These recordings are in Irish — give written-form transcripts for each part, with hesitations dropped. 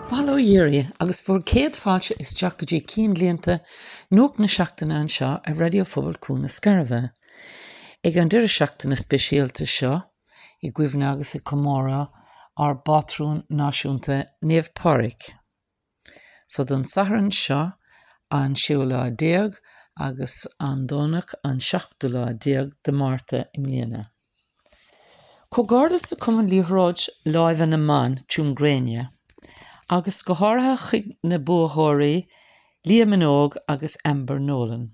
Bail ó Dhia oraibh agus bhur gcéad fáilte isteach go dtí Cinnlíonta Nuacht na Seachtaine anseo ar Raidió Phobail Cuan na Scairbhe. Ag an deireadh seachtaine speisialta seo, i gcuimhne agus ag comóradh ár bpátrún náisiúnta Naomh Pádraig. So don Satharn seo an séú lá déag agus an Domhnach an seachtú lá déag de Márta i mbliana. Comhghairdeas do Cumann Liathróid Láimhe na mBan, Tuaim Gréine, agus go háirithe chuig na buaitheoirí Leah Minogue agus Amber Nolan,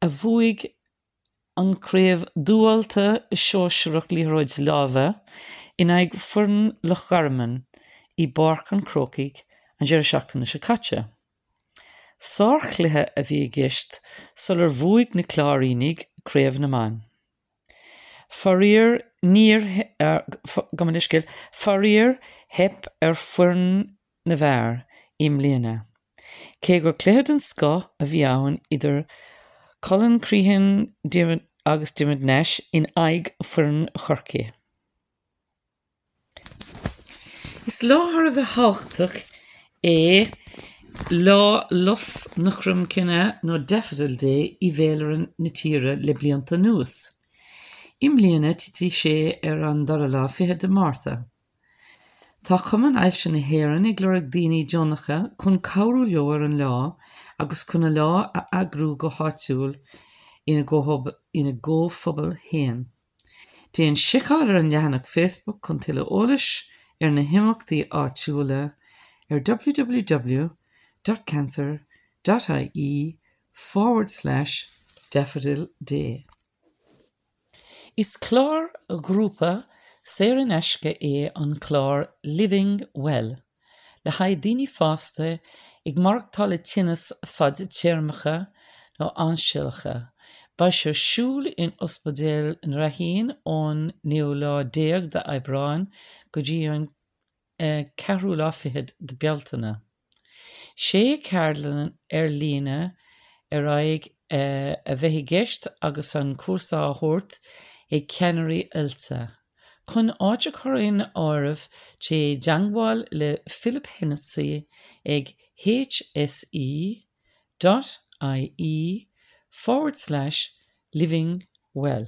a bhuaigh an Craobh Dúbailte Shóisearach Liathróid Láimhe in aghaidh foireann Loch Garman i bPáirc an Chrócaigh an deireadh seachtaine seo caite. Sárchluiche a bhí i gceist sular bhuaigh na Cláirínigh Craobh na mBan. Faraor níor, gabh mo leithscéal, faraor theip ar foireann na bhfear i mbliana. Cé gur cluiche den scoth a bhí ann idir Colin Crehan agus Diarmuid Nash in aghaidh foireann Chorcaí. Is lá thar a bheith tábhachtach é Lá Lus na Cromghlinne nó Daffodil Day i bhféilire na tíre le blianta anuas. I mbliana titfidh sé ar an dara lá fichead de Márta. Tá Cumann Ailse na hÉireann ag lorg daoine deonacha chun cabhrú leo ar an lá agus chun a lá a eagrú go háitiúil ina gcomhphobal féin. Déan seiceáil ar an leathanach Facebook chun tuilleadh eolais ar na himeachtaí áitiúla ar www dot cancer dot ie forward slash daffodil day. Is clár grúpa saor in aisce é an clár Living Well le haghaidh daoine fásta ag maireachtáil le tinneas fadtéarmacha nó ainsealacha. Beidh sé ar siúl in Ospidéal na Ráithín ón naoú lá déag d'Aibreán go dtí an ceathrú lá fichead de Bealtaine. Sé cheardlann ar líne ar aghaidh a bheidh i gceist agus an cúrsa á thabhairt ag ceannairí oilte. Chun áit a chur in áirithe téigh i dteangmháil le Philip Hennessy ag hse dot ie forward slash living well.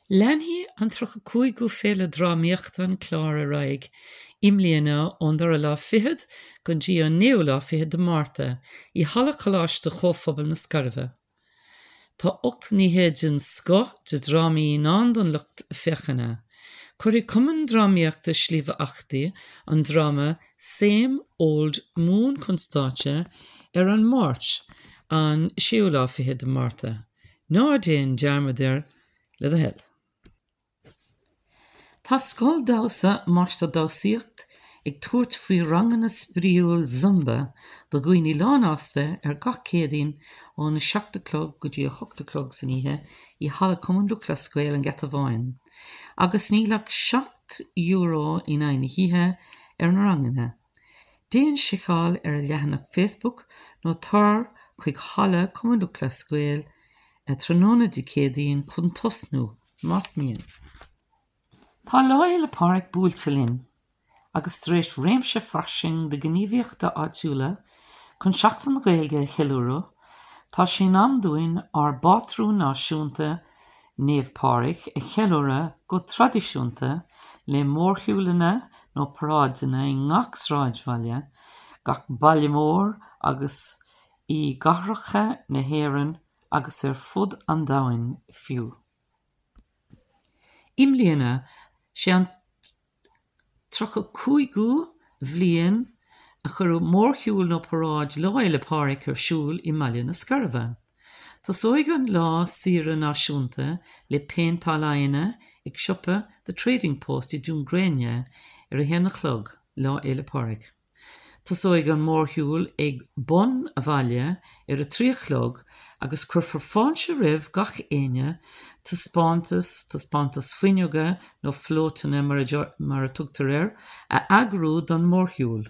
Leanfaidh an 35ú Féile Drámaíochta an Chláir ar aghaidh i mbliana ón dara lá fichead go dtí an naoú lá fichead de Márta i Halla Choláiste Chomhphobail na Scairbhe. Tá 8 n-oíche den scoth de dhrámaí i ndán don lucht féachana. Cuirfidh Cumann Drámaíochta Sliabh Eachtaí an dráma Same Old Moon chun stáitse ar an Máirt an séú lá fichead de Márta. Ná déan dearmad air, le do thoil. Tá Scoil Damhsa Máistir Damhsaíocht ag tabhairt faoi ranganna spraíúil Zumba do dhaoine lánfhásta ar gach Céadaoin óna 7 a chlog go dtí 8 a chlog san oíche i Halla Cumann Lúthchleas Gael an Gheata Bháin agus níl ach €7 in aghaidh na hoíche ar na ranganna. Déan seiceáil ar a leathanach Facebook nó tar chuig Halla Cumann Lúthchleas Gael tráthnóna Dé Céadaoin chun tosnú, más mian. Tá Lá Fhéile Pádraig buailte linn, agus tar éis réimse fairsing de ghníomhaíochtaí áitiúla chun Seachtain na Gaeilge a cheiliúradh, tá sé in am dúinn ár bpátrún náisiúnta, Naomh Pádraig a cheiliúradh go traidisiúnta le mórshiúlanna nó paráideanna i ngach sráidbhaile, gach baile mór agus i gcathracha na hÉireann agus ar fud an domhain fiú. I mbliana, sé an 35ú bhliain a cuireadh mórshiúl nó paráid Lá Fhéile Pádraig ar siúl i mBaile na Scairbhe. Tosóidh an lá saoire náisiúnta le péinteáil aghaidheanna ag siopa The Trading Post i dTuaim Gréine ar a haon a chlog, Lá Fhéile Pádraig. Tosóidh an mórshiúl ag bun a' bhaile ar a 3 a chlog agus cuirfear fáilte roimh gach éinne taispeántas, taispeántas fuinneoga nó flótanna mar a tugtar air, a eagrú don mhórshiúl.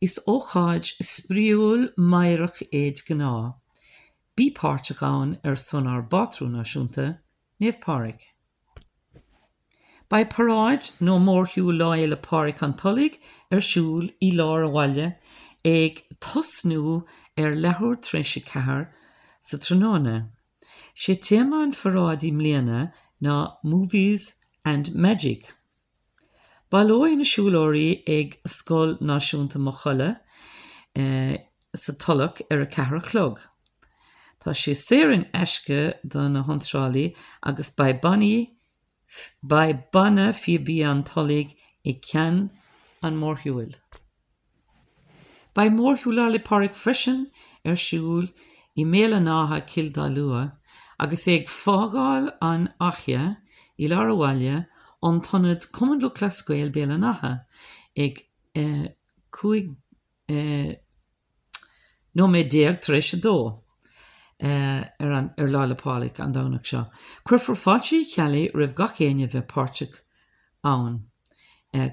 Is ócáid spraíúil meidhreach é de ghnáth. Bí páirteach ann ar son ár bpátrún náisiúnta, Naomh Pádraig. Beidh paráid nó mórshiúl Lá Fhéile Pádraig an Tulaigh ar siúl i lár an bhaile ag tosnú ar leathuair tar éis 4 sa tráthnóna. Sé téama an pharáid i mbliana ná 'Movies and Magic'. Baileoidh na siúlóirí ag Scoil Náisiúnta Maigh Cholla sa Tulach ar a 4 a chlog. Tá sé saor in aisce do na hiontrálaí agus beidh bannaí beidh Banna Phíobaí an Tulaigh i gceann an mhórshiúil. Beidh mórshiúl Lá 'le Pádraig freisin ar siúl i mBéal an Átha, Cill Dalua, agus é ag fágáil an Fhaiche i lár an bhaile ón t-ionad Cumann Lúthchleas Gael Béal an Átha ag 15 nóiméad tar éis 2 ar an ar Lá 'le Pádraig, an Domhnach seo. Cuirfear fáilte Uí Cheallaigh roimh gach éinne a bheith páirteach ann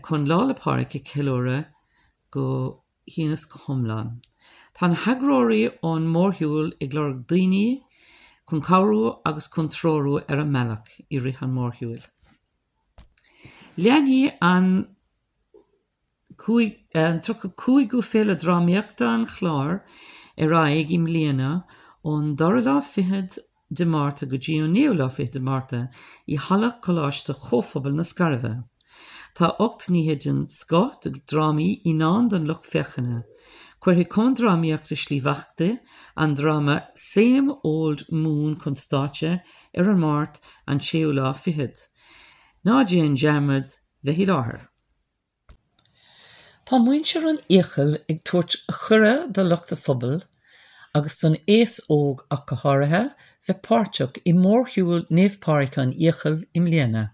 chun Lá 'le Pádraig a cheiliúradh go huile is go hiomlán. Tá na heagróirí ón mórshiúl ag lorg daoine chun cabhrú agus chun treorú ar an mbealach i rith an mhórshiúil. Leanfaidh an 35ú Féile Drámaíochta an Chláir ar aghaidh i mbliana ón dara lá fichead de Márta go dtí an naoú lá fichead de Márta i Halla Coláiste Chomhphobail na Scairbhe. Tá 8 n-oíche den scoth de dhrámaí i ndán don lucht féachana. Cuirfidh Cumann Drámaíochta Sliabh Eachtaí an dráma Same Old Moon chun stáitse ar an Máirt an séú lá fichead. Ná déan dearmad bheith i láthair! Tá muintir an Fhiacail ag tabhairt cuireadh do lucht an phobail, agus don aos óg ach go háirithe, bheith páirteach i mórshiúl Naomh Pádraig an Fhiacail i mbliana.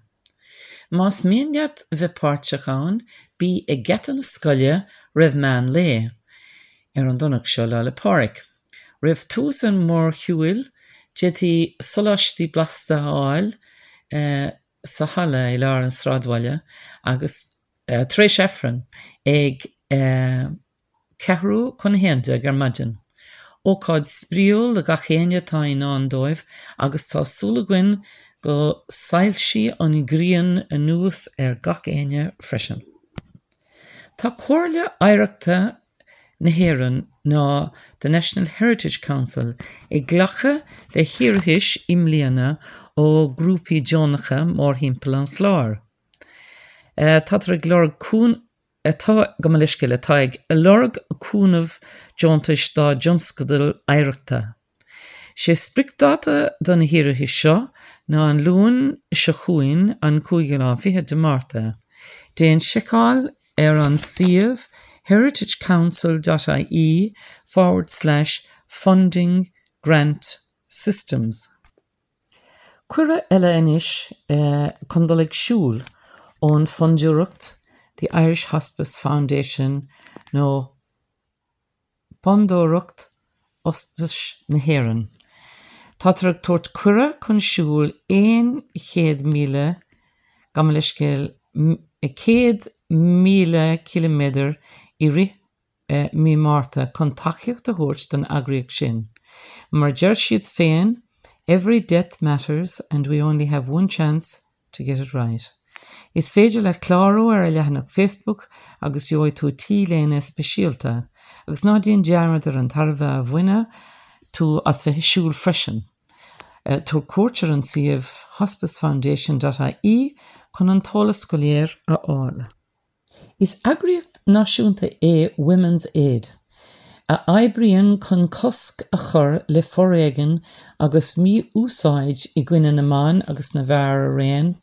Más mian leat bheith páirteach ann, bí ag geata na scoile roimh meán lae ar an Domhnach seo, Lá 'le Pádraig. Roimh tús an mhórshiúil, d'fhéadfaí soláistí blasta a fháil sa halla i lár an sráidbhaile agus tar éis Aifreann ag ceathrú chun a 11 ar maidin. Ócáid spraíúil do gach éinne atá i ndán dóibh agus tá súil againn go soilsí an ghrian anuas ar gach éinne freisin. Tá Comhairle Oidhreachta na hÉireann ná The National Heritage Council ag glacadh le hiarratais i mbliana ó ghrúpaí deonacha mórthimpeall an Chláir. Táthar ag lorg atá, gabh mo leithscéal, atá ag lorg cúnamh deontais dá dtionscadail oidhreachta. Sé spriocdháta do na hiarratais seo ná an Luan seo chugainn, an cúigiú lá fichead de Márta. Déan seiceáil ar an suíomh heritagecouncil dot ie forward slash funding grant systems. Cuireadh eile anois chun dul ag siúl ón Fondúireacht The Irish Hospice Foundation nó Fondúireacht Ospais na hÉireann. Táthar ag tabhairt cuireadh chun siúl 100,000, gabh mo leithscéal, 100,000 ciliméadar i rith mí Márta chun tacaíocht a thabhairt don eagraíocht sin. Mar a deir siad féin, Every death matters and we only have one chance to get it right. Is féidir leat clárú ar a leathanach Facebook agus gheobhaidh tú T-léine speisialta. Agus ná déan dearmad ar an tairbhe a bhainfidh tú as bheith ag siúl freisin. Tabhair cuairt ar an suíomh hospicefoundation dot ie chun an t-eolas go léir a fháil. Is eagraíocht náisiúnta é Women's Aid a oibríonn chun cosc a chur le foréigean agus mí-úsáid i gcoinne na mban agus na bhfear araon,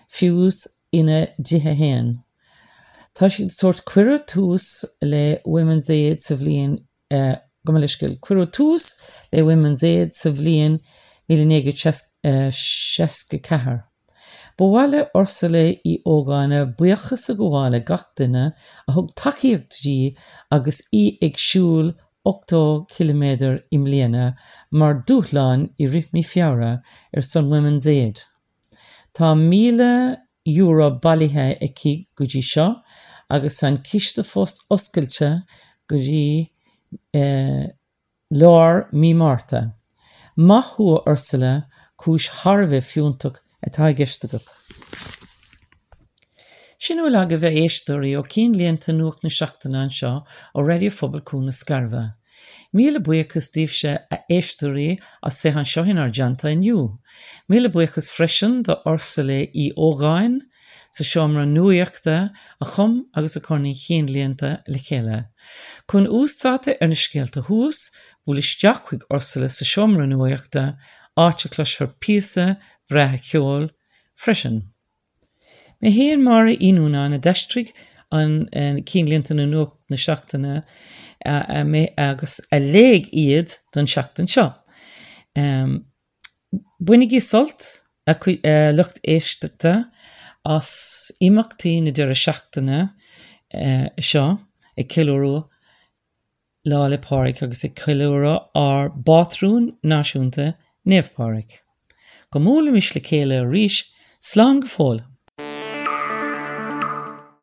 fiú ina dtithe féin. Tá siad ag tabhairt Cuireadh tús le Women's Aid sa bhliain Gabh mo leithscéal. Cuireadh tús le Women's Aid sa bhliain 1964. Ba mhaith le Ursula Uí Ógáin buíochas a ghabháil le gach duine a thug tacaíocht di agus í ag siúl 80 ciliméadar i mbliana mar dúshlán i rith mí Feabhra ar son Women's Aid. Tá €1,000 bailithe aici go dtí seo agus an ciste fós oscailte go dtí lár mí Márta. Maith thú a Ursula, cúis thar a bheith fiúntach atá i gceist agat. Sin a bhfuil agaibh a éisteoirí ó Cinnlíonta Nuacht na Seachtaine anseo ó Raidió Phobail Cuan na Scairbhe. Míle buíochas daoibhse a éisteoirí as bheith anseo inár dteannta inniu. Míle buíochas freisin do Ursula Uí Ógáin sa seomra nuaíochta a chum agus a chuir na cinnlíonta le chéile. Chun uasdáta ar na scéalta thuas, buail isteach chuig Ursula sa seomra nuaíochta, áit a chloisfear píosa breá ceoil freisin. Mé féin, Máire Uí Nuanáin, a d'aistrigh an Cinnlíonta nó Nuacht na Seachtaine agus a léigh iad don seachtain seo. Bainigí sult, a lucht éisteachta, as imeachtaí na deireadh seachtaine seo ag ceiliúradh Lá 'le Pádraig agus ag ceiliúradh ár bpátrún náisiúnta, Naomh Pádraig. Go mbuailimis le chéile arís, slán go fóill!